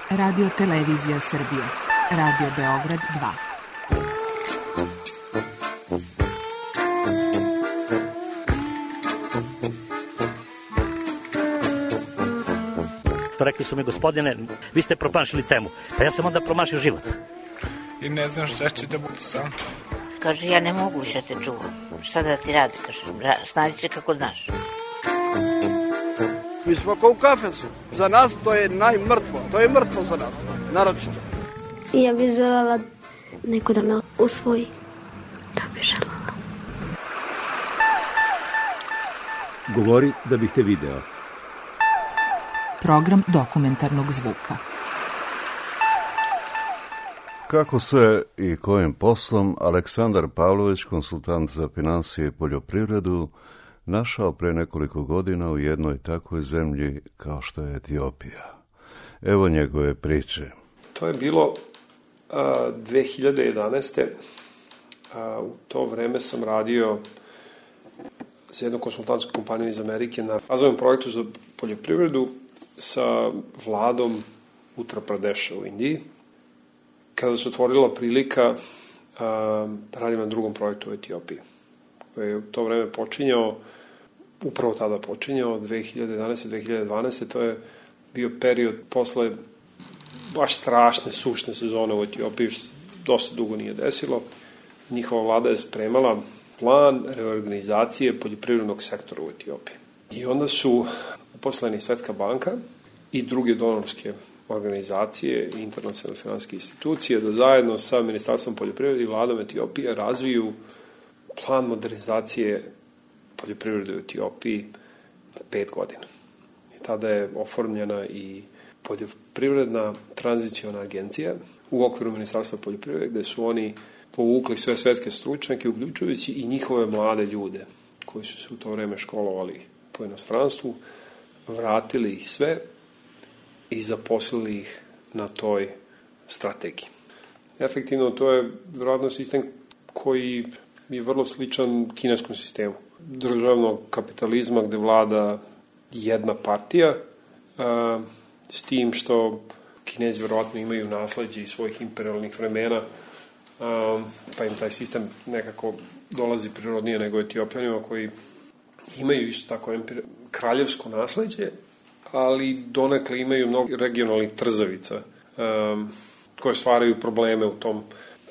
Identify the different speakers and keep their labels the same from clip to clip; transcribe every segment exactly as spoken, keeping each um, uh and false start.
Speaker 1: Radio Televizija Srbije. Radio Beograd dva.
Speaker 2: Rekli su mi, gospodine, vi ste promašili temu. Pa ja sam onda promašio život.
Speaker 3: I ne znam šta će da bude sam.
Speaker 4: Kaže, ja ne mogu više te čuvam. Šta da ti radi? Kaže, snađi se kako znaš.
Speaker 5: Mi smo kao u kafesu. Za nas to je najmrtvo. To je mrtvo za nas. Naročito.
Speaker 6: Ja bih želela neko da me usvoji. Da bih želela.
Speaker 7: Govori da bih te video.
Speaker 1: Program dokumentarnog zvuka.
Speaker 8: Kako se i kojim poslom Aleksandar Pavlović, konsultant za finansije i poljoprivredu, našao pre nekoliko godina u jednoj takvoj zemlji kao što je Etiopija. Evo njegove priče.
Speaker 9: To je bilo a, dve hiljade jedanaeste. A, u to vreme sam radio za jednu konsultantsku kompaniju iz Amerike na razvojnom projektu za poljoprivredu sa vladom Uttar Pradeša u Indiji. Kada se otvorila prilika a, da radim na drugom projektu u Etiopiji, koji je u to vreme počinjao, upravo tada počinjao, dve hiljade jedanaeste dve hiljade dvanaeste. To je bio period posle baš strašne, sušne sezone u Etiopiji, što dosta dugo nije desilo. Njihova vlada je spremala plan reorganizacije poljoprivrednog sektora u Etiopiji. I onda su uposleni Svetska banka i druge donorske organizacije i internacionalne finansijske institucije da zajedno sa Ministarstvom poljoprivrede i vladom Etiopije razviju plan modernizacije poljoprivrede u Etiopiji pet godina. I tada je oformljena i poljoprivredna tranziciona agencija u okviru Ministarstva poljoprivrede, gde su oni povukli sve svetske stručnjake, uključujući i njihove mlade ljude koji su se u to vreme školovali po inostranstvu, vratili ih sve i zaposlili ih na toj strategiji. Efektivno, to je vjerojatno sistem koji je vrlo sličan kineskom sistemu. Državnog kapitalizma gde vlada jedna partija, a, s tim što Kinezi vjerojatno imaju nasleđe iz svojih imperialnih vremena, a, pa im taj sistem nekako dolazi prirodnije nego Etiopljanima koji imaju isto tako empir... kraljevsko nasleđe, ali donekle imaju mnogo regionalnih trzavica um, koje stvaraju probleme u tom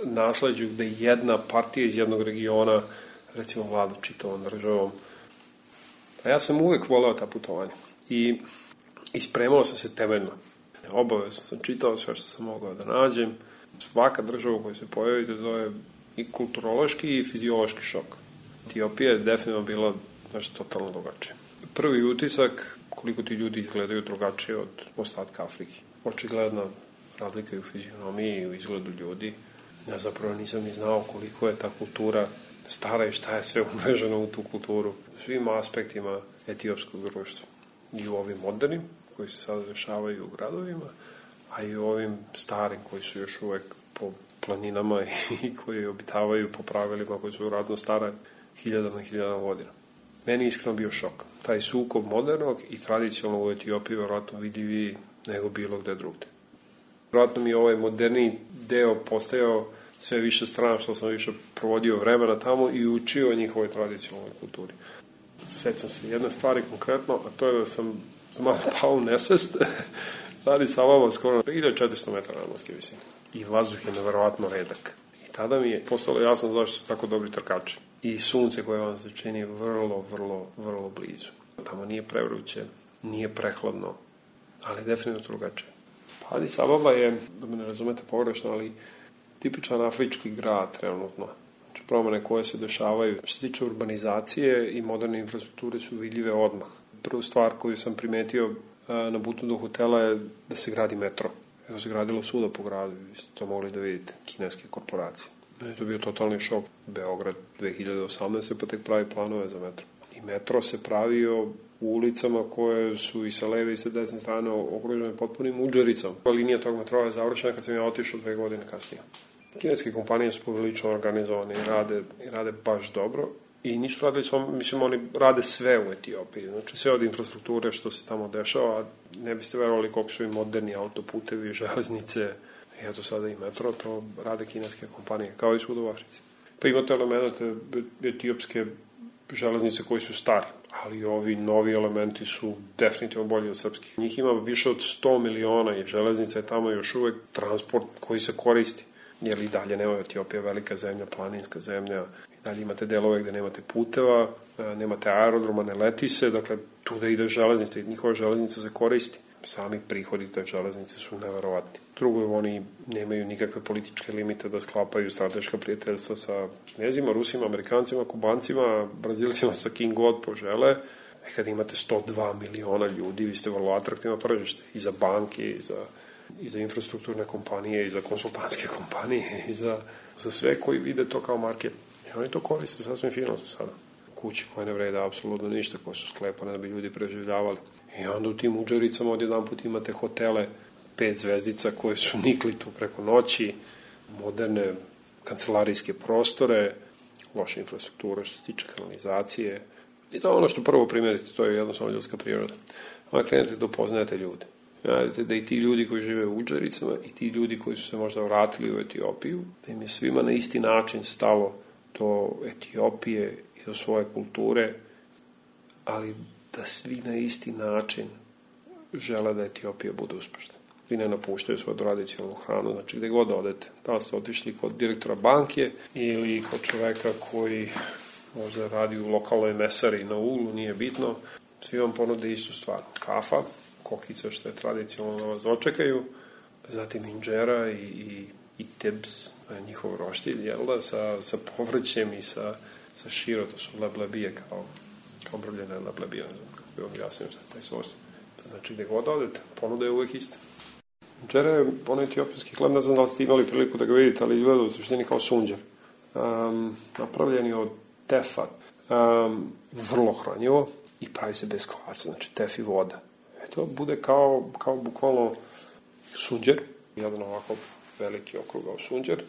Speaker 9: nasleđu gde jedna partija iz jednog regiona recimo vlada čitavom državom. A ja sam uvek voleo ta putovanja i ispremao sam se temeljno. Obavezno sam čitao sve što sam mogao da nađem. Svaka država u kojoj se pojavite, to je i kulturološki i fiziološki šok. Etiopija je definitivno bila nešto totalno drugačije. Prvi utisak, koliko ti ljudi izgledaju drugačije od ostatka Afrike. Očigledna razlika i u fizionomiji i u izgledu ljudi. Ja zapravo nisam ni znao koliko je ta kultura stara i šta je sve umreženo u tu kulturu. U svim aspektima etiopskog društva. I u ovim modernim, koji se sada dešavaju u gradovima, a i u ovim starim, koji su još uvek po planinama i koji obitavaju po pravilima koji su radno stare hiljadama i hiljadama godina. Meni je iskreno bio šok. Taj sukob modernog i tradicionalnog u Etiopiji vjerojatno vidljiviji nego bilo gde drugde. Vjerojatno mi je ovaj moderni deo postajao sve više strana što sam više provodio vremena tamo i učio o njihovoj tradicionalnoj kulturi. Sećam se jedne stvari konkretno, a to je da sam malo pao u nesvest. Radi sa vama skoro hiljadu četiristo metara nadmorske visine. I vazduh je neverovatno redak. I tada mi je postalo jasno zašto su tako dobri trkači. I sunce koje vam se čini vrlo, vrlo, vrlo blizu. Tamo nije prevruće, nije prehladno, ali definitivno drugačije. Pa Adis Ababa je, da me ne razumete pogrešno, ali tipičan afrički grad trenutno. Znači promene koje se dešavaju što se tiče urbanizacije i moderne infrastrukture su vidljive odmah. Prvu stvar koju sam primetio na putu do hotela je da se gradi metro. Evo se gradilo svuda po gradu, vi ste to mogli da vidite, kineske korporacije. To je bio totalni šok. Beograd dve hiljade osamnaeste pa tek pravi planove za metro. I metro se pravio u ulicama koje su i sa leve i sa desne strane okružene potpunim udžericama. Linija tog metroa je završena kad sam ja otišao dve godine kasnije. Kineske kompanije su poprilično organizovane i rade, i rade baš dobro I nisu radili, samo, mislim, oni rade sve u Etiopiji. Znači, sve od infrastrukture što se tamo dešava, ne biste verovali koliko su i moderni autoputevi, železnice, i eto sada i metro, to rade kineske kompanije, kao i svud u Africi. Pa imate elemente etiopske železnice koji su stari, ali ovi novi elementi su definitivno bolji od srpskih. Njih ima više od sto miliona i železnica je tamo još uvek transport koji se koristi. Jer i dalje nema Etiopija velika zemlja, planinska zemlja, i dalje imate delove gde nemate puteva, nemate aerodroma, ne leti se, dakle tu da ide železnica i njihova železnica se koristi. Sami prihodi te železnice su neverovatni. Drugo, oni nemaju nikakve političke limite da sklapaju strateška prijateljstva sa Kinezima, Rusima, Amerikancima, Kubancima, Brazilcima, sa kim god požele. E kad imate sto dva miliona ljudi, vi ste vrlo atraktivno tržište i za banke, i za, i za infrastrukturne kompanije, i za konsultantske kompanije, i za, za sve koji vide to kao market. I oni to koriste sasvim fino za sada. Kuće koje ne vrede apsolutno ništa, koje su sklepane da bi ljudi preživljavali. I onda u tim Udžericama odjedan put imate hotele, pet zvezdica koje su nikli tu preko noći, moderne kancelarijske prostore, loša infrastruktura što se tiče kanalizacije. I to je ono što prvo primerite, to je jednostavno ljudska priroda. Onda krenete da upoznajete ljude. Znate da i ti ljudi koji žive u Udžericama i ti ljudi koji su se možda vratili u Etiopiju, da im je svima na isti način stalo do Etiopije i do svoje kulture, ali da svi na isti način žele da Etiopija bude uspešna. Vi ne napuštaju svoju tradicionalnu hranu, znači gde god odete. Da li ste otišli kod direktora banke ili kod čoveka koji možda radi u lokalnoj mesari na uglu, nije bitno, svi vam ponude istu stvar. Kafa, kokice što je tradicionalno da vas dočekaju, zatim inđera i, i, i tebs, njihov roštilj, jel da, sa, sa povrćem i sa, sa širo, to su leblebije kao kao brljene leblebije, ne znam kako bi vam jasnio šta je taj sos. Znači, gde god odete, ponuda je uvek ista. Inđera je ono etiopijski hleb, ne znam da li ste imali priliku da ga vidite, ali izgleda u suštini kao sunđer. Um, napravljen je od tefa, um, vrlo hranjivo i pravi se bez kvasa, znači tef i voda. Eto, bude kao, kao bukvalno sunđer, jedan ovako veliki okrugao sunđer,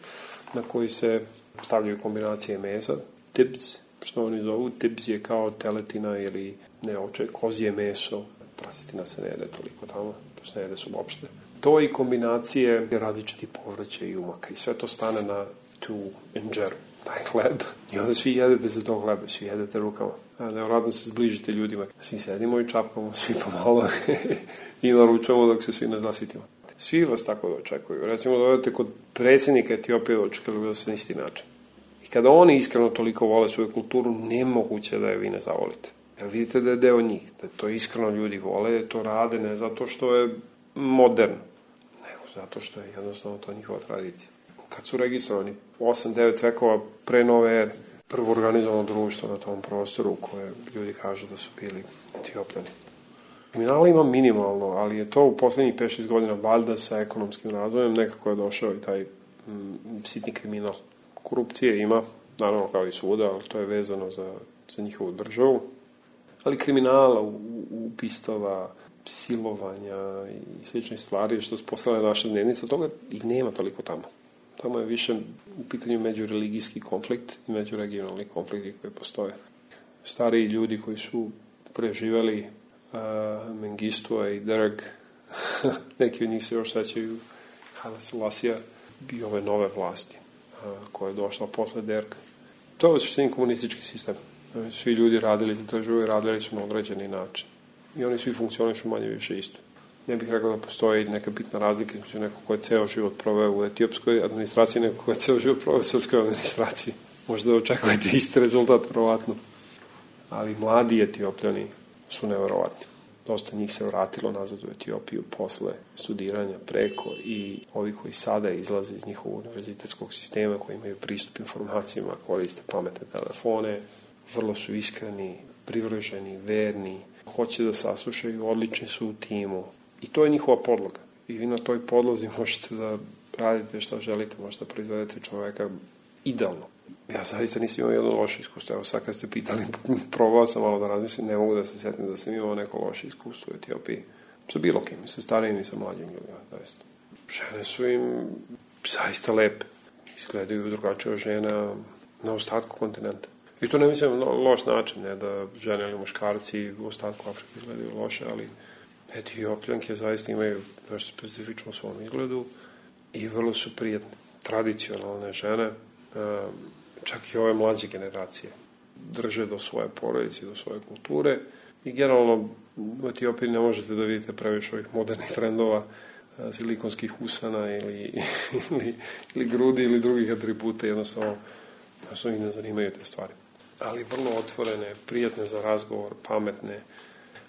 Speaker 9: na koji se stavljaju kombinacije mesa, tibs, što oni zovu, tibs je kao teletina ili ne oče, kozije meso, prasetina se ne jede toliko tamo, to se ne jede su uopšte. To i kombinacije različiti povrća i umaka i sve to stane na tu inđeru, taj hleb. I onda svi jedete za to hlebe, svi jedete rukama. Nevratno se zbližite ljudima. Svi sedimo i čapkamo, svi pomalo i naručujemo dok se svi ne zasitimo. Svi vas tako da očekuju. Recimo da odete kod predsjednika Etiopije očekuju da se na isti način. I kada oni iskreno toliko vole svoju kulturu, nemoguće da je vi ne zavolite. Jer vidite da je deo njih, da to iskreno ljudi vole, da to rade ne zato što je moderno, nego zato što je jednostavno to njihova tradicija. Kad su registrovani osam devet vekova pre nove ere, prvo organizovano društvo na tom prostoru koje ljudi kažu da su bili Etiopljani. Kriminala ima minimalno, ali je to u poslednjih pet šest godina valjda sa ekonomskim razvojem nekako je došao i taj mm, sitni kriminal. Korupcije ima, naravno kao i svuda, ali to je vezano za, za njihovu državu. Ali kriminala, upistava, silovanja i slične stvari što su postale naša dnevnica, toga ih nema toliko tamo. Tamo je više u pitanju međureligijski konflikt i međuregionalni konflikti koji postoje. Stariji ljudi koji su preživeli uh, Mengistua i Derg, neki od njih se još sećaju Haile Selasija i ove nove vlasti koja je došla posle Derga. To je u suštini komunistički sistem. Svi ljudi radili za državu i radili su na određeni način. I oni svi funkcionišu manje više isto. Ne bih rekao da postoji neka bitna razlika između nekog ko je ceo život proveo u etiopskoj administraciji i nekog ko je ceo život proveo u srpskoj administraciji. Možda očekujete isti rezultat, verovatno. Ali mladi Etiopljani su neverovatni. Dosta njih se vratilo nazad u Etiopiju posle studiranja preko i ovi koji sada izlaze iz njihovog univerzitetskog sistema, koji imaju pristup informacijama, koriste pametne telefone, vrlo su iskreni, privrženi, verni, hoće da saslušaju, odlični su u timu. I to je njihova podloga. I vi na toj podlozi možete da radite šta želite, možete da proizvedete čoveka idealno. Ja zaista nisam imao jedno loše iskustvo. Evo sad kad ste pitali, probao sam malo da razmislim, ne mogu da se setim da sam imao neko loše iskustvo u Etiopiji. Sa bilo kim, sa starijim i sa mlađim ljudima. Zaista. Žene su im zaista lepe. Izgledaju drugačije od žena na ostatku kontinenta. I to ne mislim na loš način, ne da žene ili muškarci u ostatku Afrike izgledaju loše, ali Etiopljanke zaista imaju nešto specifično u svom izgledu i vrlo su prijatne, tradicionalne žene, čak i ove mlađe generacije. Drže do svoje porodice, do svoje kulture i generalno u Etiopiji ne možete da vidite previše ovih modernih trendova, silikonskih usana ili, ili, ili grudi ili drugih atributa, jednostavno da ih ne zanimaju te stvari. Ali vrlo otvorene, prijatne za razgovor, pametne,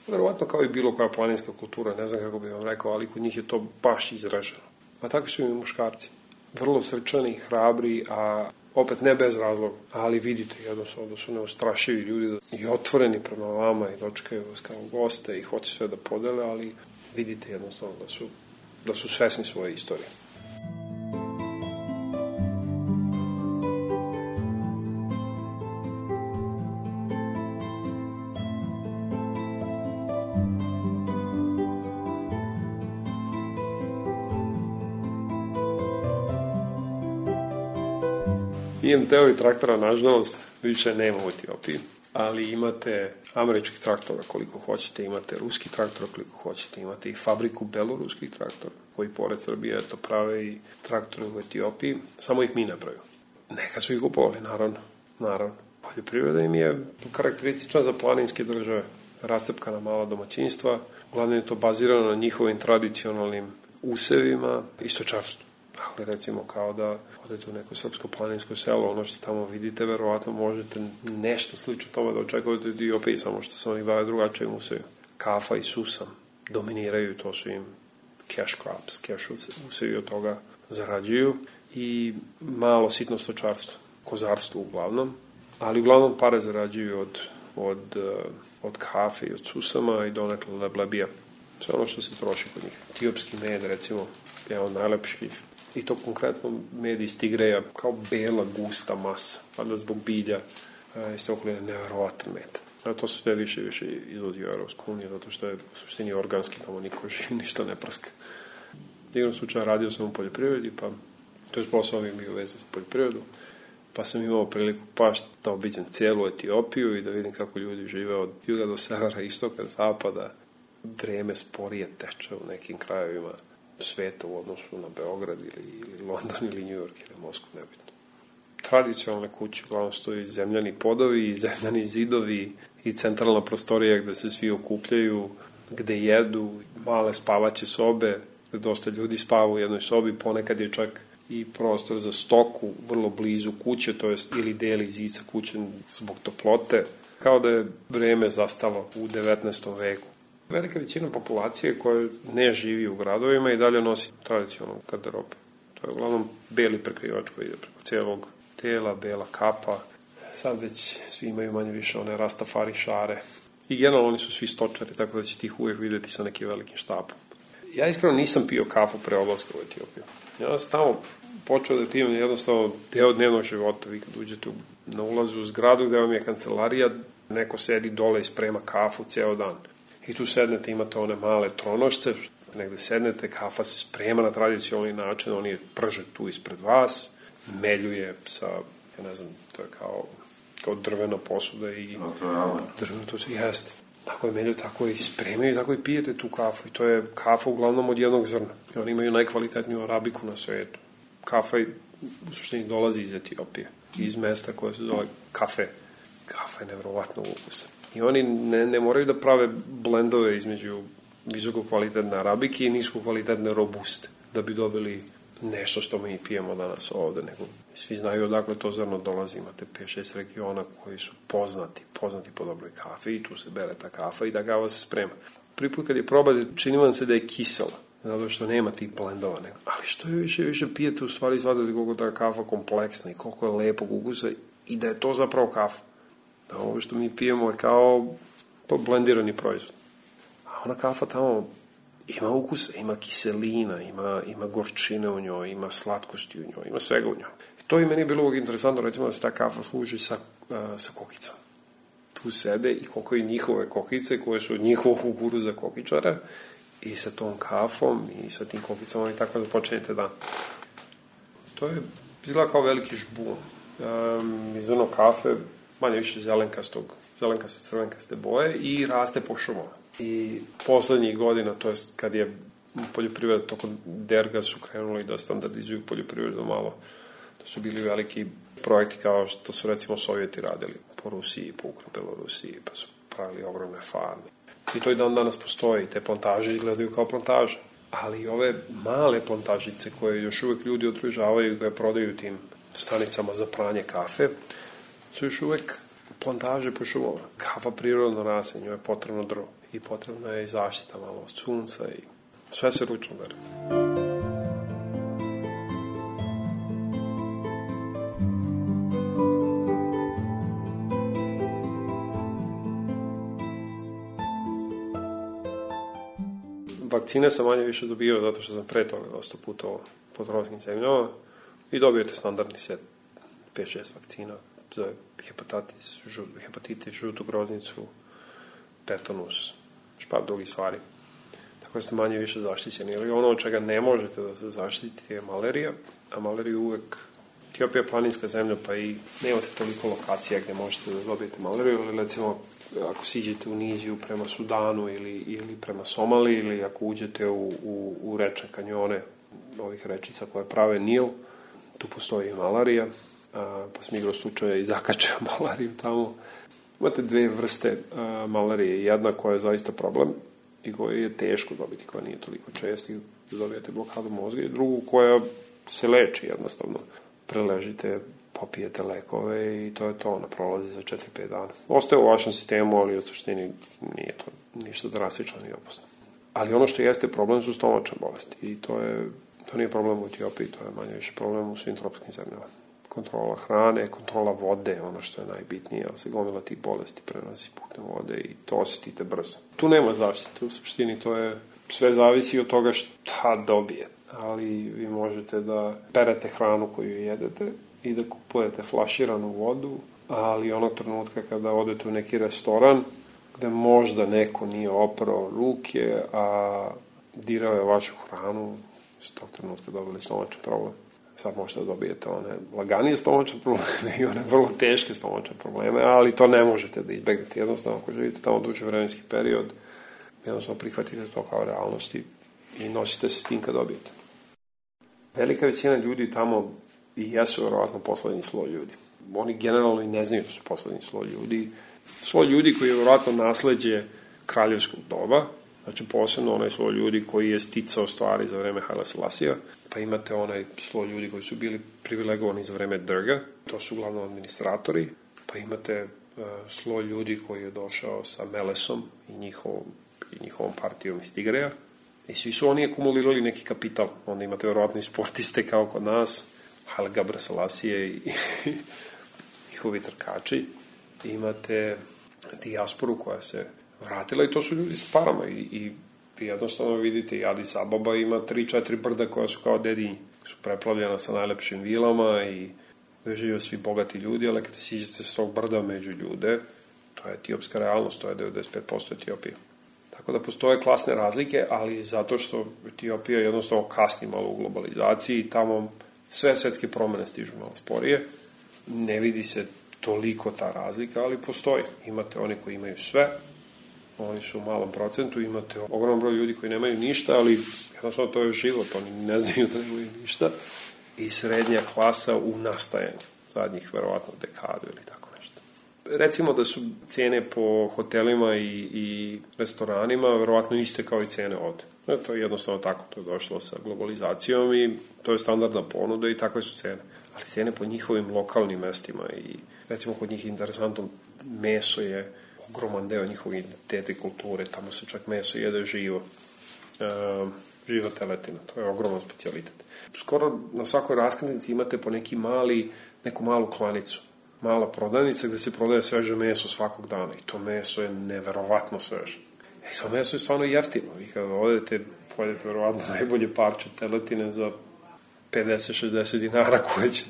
Speaker 9: verovatno kao i bilo koja planinska kultura, ne znam kako bih vam rekao, ali kod njih je to baš izraženo. A takvi su i muškarci. Vrlo srčani, hrabri, a opet ne bez razloga, ali vidite jednostavno da su neustrašivi ljudi i otvoreni prema vama i dočekaju vas kao goste i hoće sve da podele, ali vidite jednostavno da su, da su svesni svoje istorije. I em te-ovi traktora, nažalost, više nema u Etiopiji, ali imate američkih traktora koliko hoćete, imate ruski traktor koliko hoćete, imate i fabriku beloruskih traktora, koji pored Srbije eto prave i traktore u Etiopiji, samo ih mi ne pravimo. Neka su ih kupovali, naravno, naravno. Poljoprivreda im je karakteristična za planinske države, rascepkana mala domaćinstva, uglavnom je to bazirano na njihovim tradicionalnim usevima i stočarstvu. Ali recimo kao da odete u neko srpsko planinsko selo, ono što tamo vidite, verovatno možete nešto slično tome da očekujete u Etiopiji, samo što se oni bave drugačijim usevima. Kafa i susam dominiraju, to su im cash crops, cash usevi od toga zarađuju i malo sitno stočarstvo, kozarstvo uglavnom, ali uglavnom pare zarađuju od, od, od kafe i od susama i donekle leblebija. Sve ono što se troši kod njih. Etiopski med, recimo, je on najlepši. I to konkretno med iz tigreja, kao bela, gusta masa, valjda zbog bilja, jeste okoline neverovatan med. A to se sve više i više izvozi u Europsku uniju, zato što je u suštini organski, tamo niko živi, ništa ne prska. Igrom slučaja radio sam u poljoprivredi, pa to je posao mi bio vezan za poljoprivredu, pa sam imao priliku paš da obiđem cijelu Etiopiju i da vidim kako ljudi žive od juga do severa, istoka, zapada. Vreme sporije teče u nekim krajevima sveta u odnosu na Beograd ili, ili London ili New York ili Moskvu, nebitno. Tradicionalne kuće, uglavnom stoji zemljani podovi, zemljani zidovi i centralna prostorija gde se svi okupljaju, gde jedu, male spavaće sobe, gde dosta ljudi spava u jednoj sobi, ponekad je čak i prostor za stoku vrlo blizu kuće, to jest ili deli zica kuće zbog toplote, kao da je vreme zastalo u devetnaestom veku. Velika većina populacije koja ne živi u gradovima i dalje nosi tradicionalnu garderobu. To je uglavnom beli prekrivač koji ide preko cijelog tela, bela kapa. Sad već svi imaju manje više one rastafari šare. I generalno oni su svi stočari, tako da ćete ih uvijek videti sa nekim velikim štapom. Ja iskreno nisam pio kafu pre odlaska u Etiopiju. Ja sam tamo počeo da pijem jednostavno deo dnevnog života. Vi kad uđete na ulazu u zgradu gde vam je kancelarija, neko sedi dole i sprema kafu ceo dan. I tu sednete, imate one male tronošce, negde sednete, kafa se sprema na tradicionalni način, oni je prže tu ispred vas, meljuje sa, ja ne znam, to je kao, kao drvena posuda i
Speaker 8: no, to je alen.
Speaker 9: Drveno to se jeste. Tako je melju, tako i spremaju, tako i pijete tu kafu. I to je kafa uglavnom od jednog zrna. I oni imaju najkvalitetniju arabiku na svetu. Kafa u suštini dolazi iz Etiopije, iz mesta koje se zove kafe. Kafa je nevjerovatno ukusa. I oni ne, ne moraju da prave blendove između visoko kvalitetne arabike i nisko kvalitetne robuste, da bi dobili nešto što mi pijemo danas ovde. Nego svi znaju odakle to zrno dolazi. Imate pet šest regiona koji su poznati, poznati po dobroj kafi i tu se bere ta kafa i ta kava se sprema. Prvi put kad je probate, čini vam se da je kisela, zato što nema tih blendova. Nego. Ali što je više više pijete, u stvari shvatate koliko ta kafa kompleksna i koliko je lepog ukusa i da je to zapravo kafa. Da ovo što mi pijemo je kao blendirani proizvod. A ona kafa tamo ima ukusa, ima kiselina, ima, ima gorčine u njoj, ima slatkosti u njoj, ima svega u njoj. I to i meni je bilo uvijek interesantno, recimo da se ta kafa služi sa, uh, sa kokicama. Tu sede i kokaju njihove kokice koje su od njihovog kukuruza kokičara i sa tom kafom i sa tim kokicama i tako da počinjete dan. To je izgleda kao veliki žbun. Um, iz ono kafe manje više zelenkastog, zelenkaste crvenkaste boje i raste po šumama. I poslednjih godina, to jest kad je poljoprivreda tokom derga su krenuli da standardizuju poljoprivredu malo. To su bili veliki projekti kao što su recimo Sovjeti radili po Rusiji, po Belorusiji, pa su pravili ogromne farme. I to i dan danas postoji, te plantaže izgledaju kao plantaže. Ali ove male plantažice koje još uvek ljudi odružavaju i koje prodaju tim stanicama za pranje kafe, su još uvek plantaže po šumama. Kafa prirodno raste, njoj je potrebno drvo i potrebna je i zaštita malo od sunca i sve se ručno bere. Vakcine sam manje više dobio zato što sam pre toga dosta putovao po tropskim zemljama i dobijete standardni set pet šest vakcina za hepatitis, žu, hepatitis, žutu groznicu, tetanus, špar drugih stvari. Tako da ste manje više zaštićeni. Ili ono od čega ne možete da se zaštitite je malarija, a malariju uvek Etiopija je planinska zemlja, pa i nemate toliko lokacija gde možete da dobijete malariju, ali recimo ako siđete u Niziju prema Sudanu ili, ili prema Somali, ili ako uđete u, u, u reče kanjone ovih rečica koje prave Nil, tu postoji i malarija, a, pa sam igrao slučaja i zakačeo malariju tamo. Imate dve vrste a, malarije, jedna koja je zaista problem i koju je teško dobiti, koja nije toliko čest i dobijete blokadu mozga, i drugu koja se leči jednostavno. Preležite, popijete lekove i to je to, ona prolazi za četiri pet dana. Ostaje u vašem sistemu, ali u suštini nije to ništa drastično ni opasno. Ali ono što jeste problem su stomačne bolesti i to je, to nije problem u Etiopiji, to je manje više problem u svim tropskim zemljama. Kontrola hrane, kontrola vode, ono što je najbitnije, ali se gomila tih bolesti prenosi putem vode i to osjetite brzo. Tu nema zaštite, u suštini to je, sve zavisi od toga šta dobijete, ali vi možete da perete hranu koju jedete i da kupujete flaširanu vodu, ali onog trenutka kada odete u neki restoran gde možda neko nije oprao ruke, a dirao je vašu hranu, s tog trenutka dobili stomačni problem. Sad možete da dobijete one laganije stomačne probleme i one vrlo teške stomačne probleme, ali to ne možete da izbegnete. Jednostavno, ako živite tamo duži vremenski period, jednostavno prihvatite to kao realnosti i nosite se s tim kad dobijete. Velika većina ljudi tamo i jesu verovatno poslednji sloj ljudi. Oni generalno i ne znaju da su poslednji sloj ljudi. Sloj ljudi koji je verovatno nasleđe kraljevskog doba, znači posebno onaj sloj ljudi koji je sticao stvari za vreme Haile Selasija, pa imate onaj sloj ljudi koji su bili privilegovani za vreme Drga, to su uglavnom administratori, pa imate uh, sloj ljudi koji je došao sa Melesom i njihovom, i njihovom partijom iz Tigreja, i svi su oni akumulirali neki kapital. Onda imate verovatno i sportiste kao kod nas, Haile Gebrselassie i njihovi trkači. Imate dijasporu koja se vratila i to su ljudi sa parama i, i jednostavno vidite i Addis Ababa ima tri četiri brda koja su kao dedinji. Su preplavljena sa najlepšim vilama i žive svi bogati ljudi, ali kada siđete s tog brda među ljude, to je etiopska realnost, to je devedeset pet posto Etiopije. Tako da postoje klasne razlike, ali zato što Etiopija jednostavno kasni malo u globalizaciji i tamo sve svetske promene stižu malo sporije. Ne vidi se toliko ta razlika, ali postoji. Imate oni koji imaju sve, oni su u malom procentu, imate ogromno broj ljudi koji nemaju ništa, ali jednostavno to je život, oni ne znaju da nemaju ništa. I srednja klasa u nastajanju, zadnjih verovatno dekadu ili tako nešto. Recimo da su cene po hotelima i, i restoranima verovatno iste kao i cene ovde. To je jednostavno tako, to je došlo sa globalizacijom i to je standardna ponuda i takve su cene. Ali cene po njihovim lokalnim mestima i recimo kod njih interesantno, meso je ogroman deo njihovog identiteta i kulture, tamo se čak meso jede živo, e, živa teletina, to je ogroman specijalitet. Skoro na svakoj raskladnici imate po neki mali, neku malu klanicu, mala prodavnica gde se prodaje sveže meso svakog dana i to meso je neverovatno sveže. E, to meso je stvarno jeftino, vi kada odete, pojedete verovatno najbolje parče teletine za pedeset šezdeset dinara koje, će,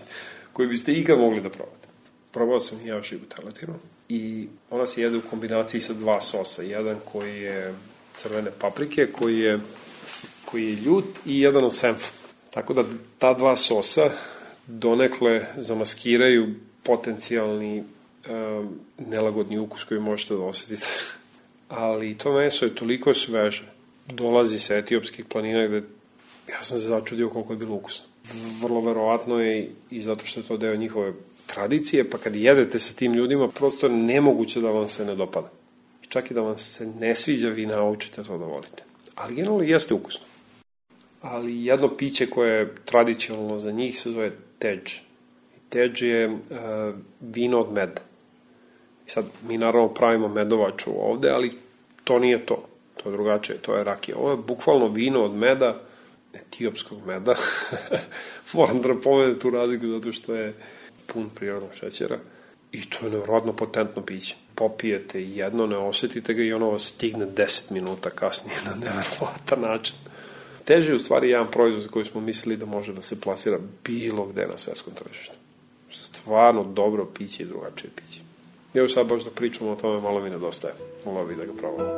Speaker 9: koje biste ikad mogli da probate. Probao sam i ja živu teletinu i ona se jede u kombinaciji sa dva sosa. Jedan koji je crvene paprike, koji je, koji je ljut i jedan od senfa. Tako da ta dva sosa donekle zamaskiraju potencijalni um, nelagodni ukus koji možete da osjetite. Ali to meso je toliko sveže. Dolazi sa etiopskih planina gde ja sam se začudio koliko je bilo ukusno. Vrlo verovatno je i zato što je to deo njihove tradicije, pa kad jedete sa tim ljudima, prosto je nemoguće da vam se ne dopada. I čak i da vam se ne sviđa, vi naučite to da volite. Ali generalno jeste ukusno. Ali jedno piće koje je tradicionalno za njih se zove teđ. Teđ je uh, vino od meda. I sad, mi naravno pravimo medovaču ovde, ali to nije to. To je drugačije, to je rakija. Ovo je bukvalno vino od meda, etiopskog meda. Moram da napomenem tu razliku zato što je pun prirodnog šećera. I to je nevjerojatno potentno piće. Popijete jedno, ne osetite ga i ono vas stigne deset minuta kasnije na nevjerovatan način. Teže je u stvari jedan proizvod za koji smo mislili da može da se plasira bilo gde na svetskom tržištu. Stvarno dobro piće i drugačije piće. Evo sad baš da pričamo o tome, malo mi nedostaje. Volao bih da ga probamo.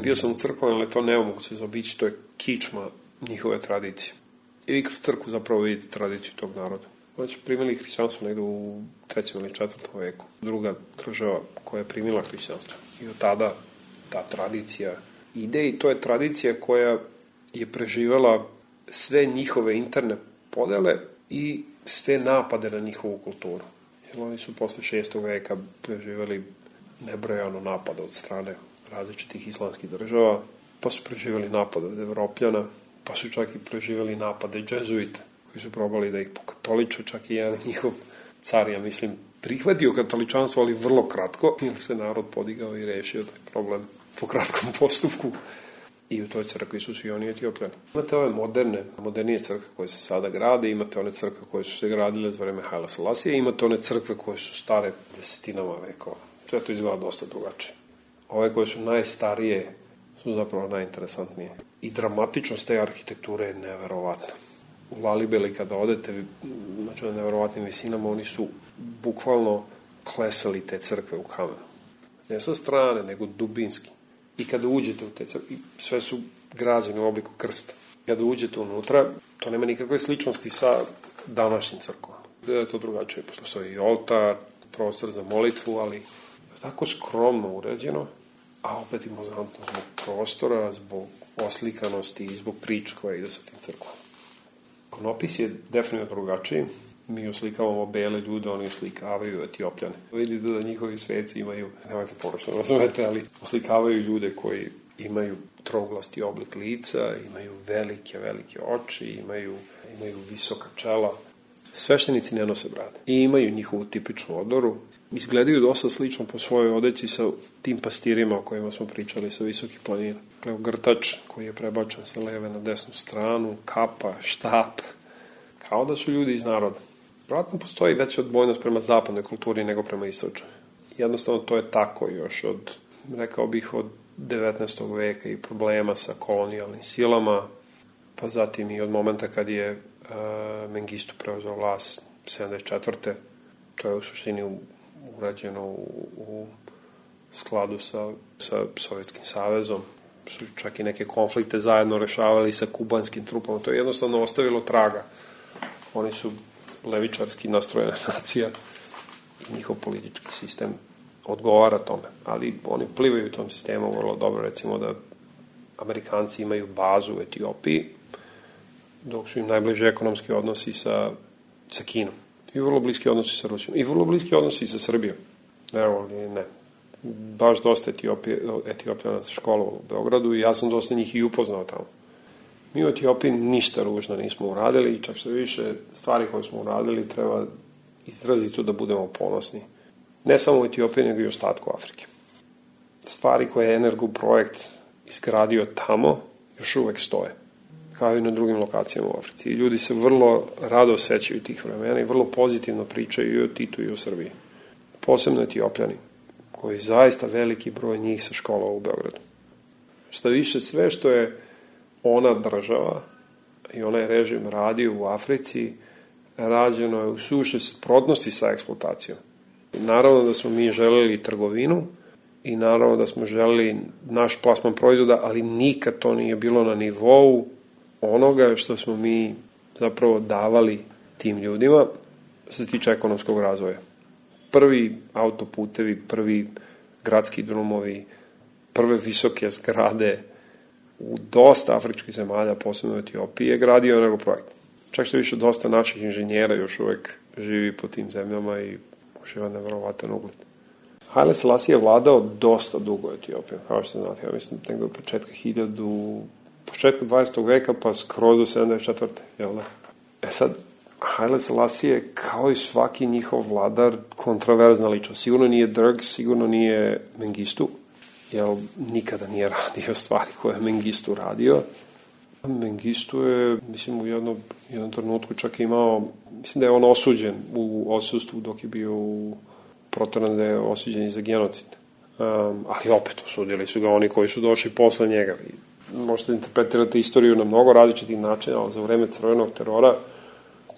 Speaker 9: Bio sam u crkvama, ali to nemoguće zaobići, to je kičma njihove tradicije. I vi kroz crkvu zapravo vidite tradiciju tog naroda. Oni su primili hrišćanstvo negde u trećem ili četvrtom veku. Druga država koja je primila hrišćanstvo. I od tada ta tradicija ide i to je tradicija koja je preživela sve njihove interne podele i sve napade na njihovu kulturu. Jer oni su posle šestog veka preživeli nebrojano napada od strane različitih islamskih država, pa su preživeli napade od Evropljana, pa su čak i preživeli napade džezuita, koji su probali da ih pokatoliče, čak i jedan njihov car, ja mislim, prihvatio katoličanstvo, ali vrlo kratko, jer se narod podigao i rešio taj problem po kratkom postupku. I u toj crkvi su svi oni Etiopljani. Imate ove moderne, modernije crkve koje se sada grade, imate one crkve koje su se gradile za vreme Haile Selasija, imate one crkve koje su stare desetinama vekova. Sve to izgleda dosta drugačije. Ove koje su najstarije su zapravo najinteresantnije. I dramatičnost te arhitekture je neverovatna. U Lalibeli kada odete, znači na neverovatnim visinama, oni su bukvalno klesali te crkve u kamenu. Ne sa strane, nego dubinski. I kada uđete u te crkve, sve su građene u obliku krsta. Kada uđete unutra, to nema nikakve sličnosti sa današnjim crkvama. Da je to drugačije. Postoji i oltar, prostor za molitvu, ali je tako skromno urađeno, a opet impozantno zbog prostora, zbog oslikanosti i zbog prič koja ide sa tim crkvom. Ikonopis je definitivno drugačiji. Mi oslikavamo bele ljude, oni oslikavaju Etiopljane. Vidite da njihovi sveci imaju, nemojte poročno razumete, ali oslikavaju ljude koji imaju trouglasti oblik lica, imaju velike, velike oči, imaju, imaju visoka čela. Sveštenici ne nose brade i imaju njihovu tipičnu odoru. Izgledaju dosta slično po svojoj odeći sa tim pastirima o kojima smo pričali sa visokih planina. Grtač koji je prebačen sa leve na desnu stranu, kapa, štap, kao da su ljudi iz naroda. Vratno postoji veća odbojnost prema zapadnoj kulturi nego prema istočnoj. Jednostavno to je tako još od, rekao bih, od devetnaestog veka i problema sa kolonijalnim silama, pa zatim i od momenta kad je uh, Mengistu preuzeo vlast sedamdeset četvrte To je u suštini urađeno u, u skladu sa, sa Sovjetskim savezom. Su čak i neke konflikte zajedno rešavali sa kubanskim trupama. To je jednostavno ostavilo traga. Oni su levičarski nastrojena nacija i njihov politički sistem odgovara tome. Ali oni plivaju u tom sistemu vrlo dobro. Recimo da Amerikanci imaju bazu u Etiopiji, dok su im najbliži ekonomski odnosi sa, sa Kinom. I vrlo bliski odnosi sa Rusijom. I vrlo bliski odnosi sa Srbijom. Evo, ne. Baš dosta Etiopije, Etiopljana se školovalo u Beogradu i ja sam dosta njih i upoznao tamo. Mi u Etiopiji ništa ružno nismo uradili i čak što više stvari koje smo uradili treba izrazito da budemo ponosni. Ne samo u Etiopiji, nego i u ostatku Afrike. Stvari koje je Energo projekt izgradio tamo još uvek stoje, kao i na drugim lokacijama u Africi. I ljudi se vrlo rado sećaju tih vremena i vrlo pozitivno pričaju i o Titu i o Srbiji. Posebno Etiopljani, koji zaista veliki broj njih se školovao u Beogradu. Šta više, sve što je ona država i onaj režim radio u Africi, rađeno je u suštoj suprotnosti sa eksploatacijom. Naravno da smo mi želeli trgovinu i naravno da smo želeli naš plasman proizvoda, ali nikad to nije bilo na nivou onoga što smo mi zapravo davali tim ljudima što se tiče ekonomskog razvoja. Prvi autoputevi, prvi gradski drumovi, prve visoke zgrade u dosta afričkih zemalja, posebno u Etiopiji, je gradio nego projekt. Čak što više dosta naših inženjera još uvek živi po tim zemljama i uživa nevjerovatan ugled. Haile Selassie je vladao dosta dugo Etiopijom, kao što znate, ja mislim nekdo od početka hiljadu, početka dvadesetog veka pa skroz do sedamdeset četvrte jel da? E sad, Haile Selassie je kao i svaki njihov vladar kontraverzna ličnost. Sigurno nije Derg, sigurno nije Mengistu, jer nikada nije radio stvari koje je Mengistu radio. Mengistu je, mislim, u jednom, jednom trenutku čak imao, mislim da je on osuđen u odsustvu dok je bio u proteran, da je osuđen i za genocid. Um, ali opet osudili su ga oni koji su došli posle njega. Možete interpretirati istoriju na mnogo različitih načina, ali za vreme crvenog terora,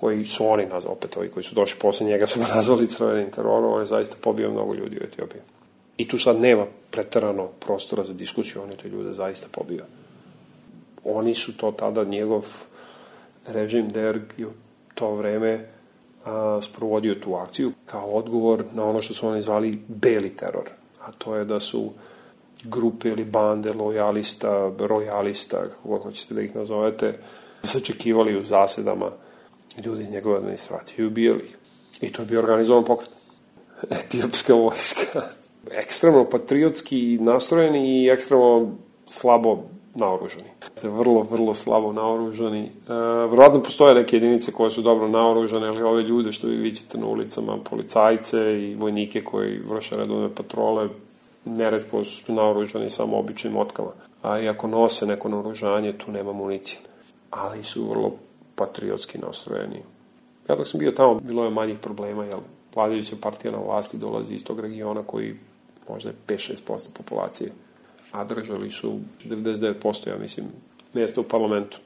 Speaker 9: koji su oni nazvali, opet ovi koji su došli posle njega su ga nazvali crvenim terorom, on je zaista pobio mnogo ljudi u Etiopiji. I tu sad nema preterano prostora za diskusiju, on je te ljude zaista pobio. Oni su to tada, njegov režim Derg je u to vreme a, sprovodio tu akciju kao odgovor na ono što su oni zvali beli teror. A to je da su grupe ili bande lojalista, rojalista, kako hoćete da ih nazovete, sačekivali u zasedama ljudi iz njegove administracije i ubijali. I to je bio organizovan pokret. Etiopska vojska. Ekstremno patriotski nastrojeni i ekstremno slabo naoružani. Vrlo, vrlo slabo naoružani. E, Vjerovatno postoje neke jedinice koje su dobro naoružane, ali ove ljude što vi vidite na ulicama, policajce i vojnike koji vrše redovne patrole, neretko su naoružani samo običnim motkama. A i ako nose neko naoružanje, tu nema municije. Ali su vrlo patriotski nastrojeni. Ja dok sam bio tamo, bilo je manjih problema, jer vladajuća partija na vlasti dolazi iz tog regiona koji možda je pet do šest posto populacije, a držali su devedeset devet posto, ja mislim, mjesta u parlamentu.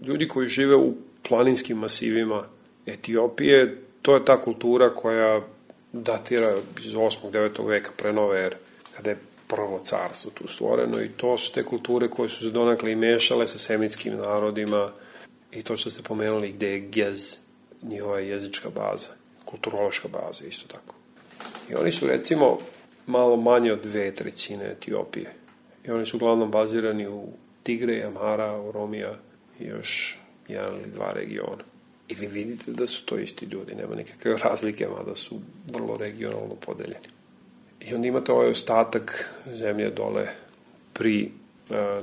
Speaker 9: Ljudi koji žive u planinskim masivima Etiopije, to je ta kultura koja datira iz osmog devetog veka pre nove ere, kada je prvo carstvo tu stvoreno, i to su te kulture koje su se donekle i mešale sa semitskim narodima, i to što ste pomenuli gde je Gez, njihova jezička baza, kulturološka baza, isto tako. I oni su, recimo, malo manje od dve trećine Etiopije. I oni su uglavnom bazirani u Tigre, Amhara, Oromija i još jedan ili dva regiona. I vi vidite da su to isti ljudi, nema nikakve razlike, mada su vrlo regionalno podeljeni. I onda imate ovaj ostatak zemlje dole pri,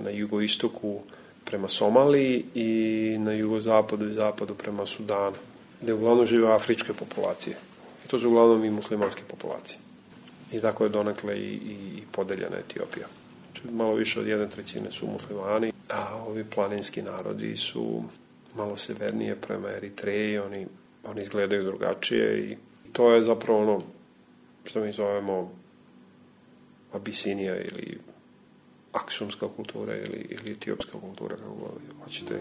Speaker 9: na jugoistoku prema Somaliji i na jugozapadu i zapadu prema Sudanu, gde uglavnom žive afričke populacije. I to su uglavnom i muslimanske populacije. I tako je donekle i, i podeljena Etiopija. Malo više od jedne trećine su muslimani, a ovi planinski narodi su malo severnije prema Eritreji, oni, oni izgledaju drugačije i to je zapravo ono što mi zovemo Abisinija ili aksumska kultura ili, ili etiopska kultura, kako hoćete.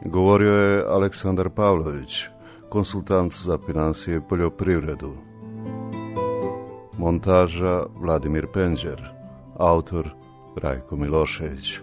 Speaker 8: Govorio je Aleksandar Pavlović, konsultant za finansije i poljoprivredu. Montaža Vladimir Penđer, autor Rajko Milošević.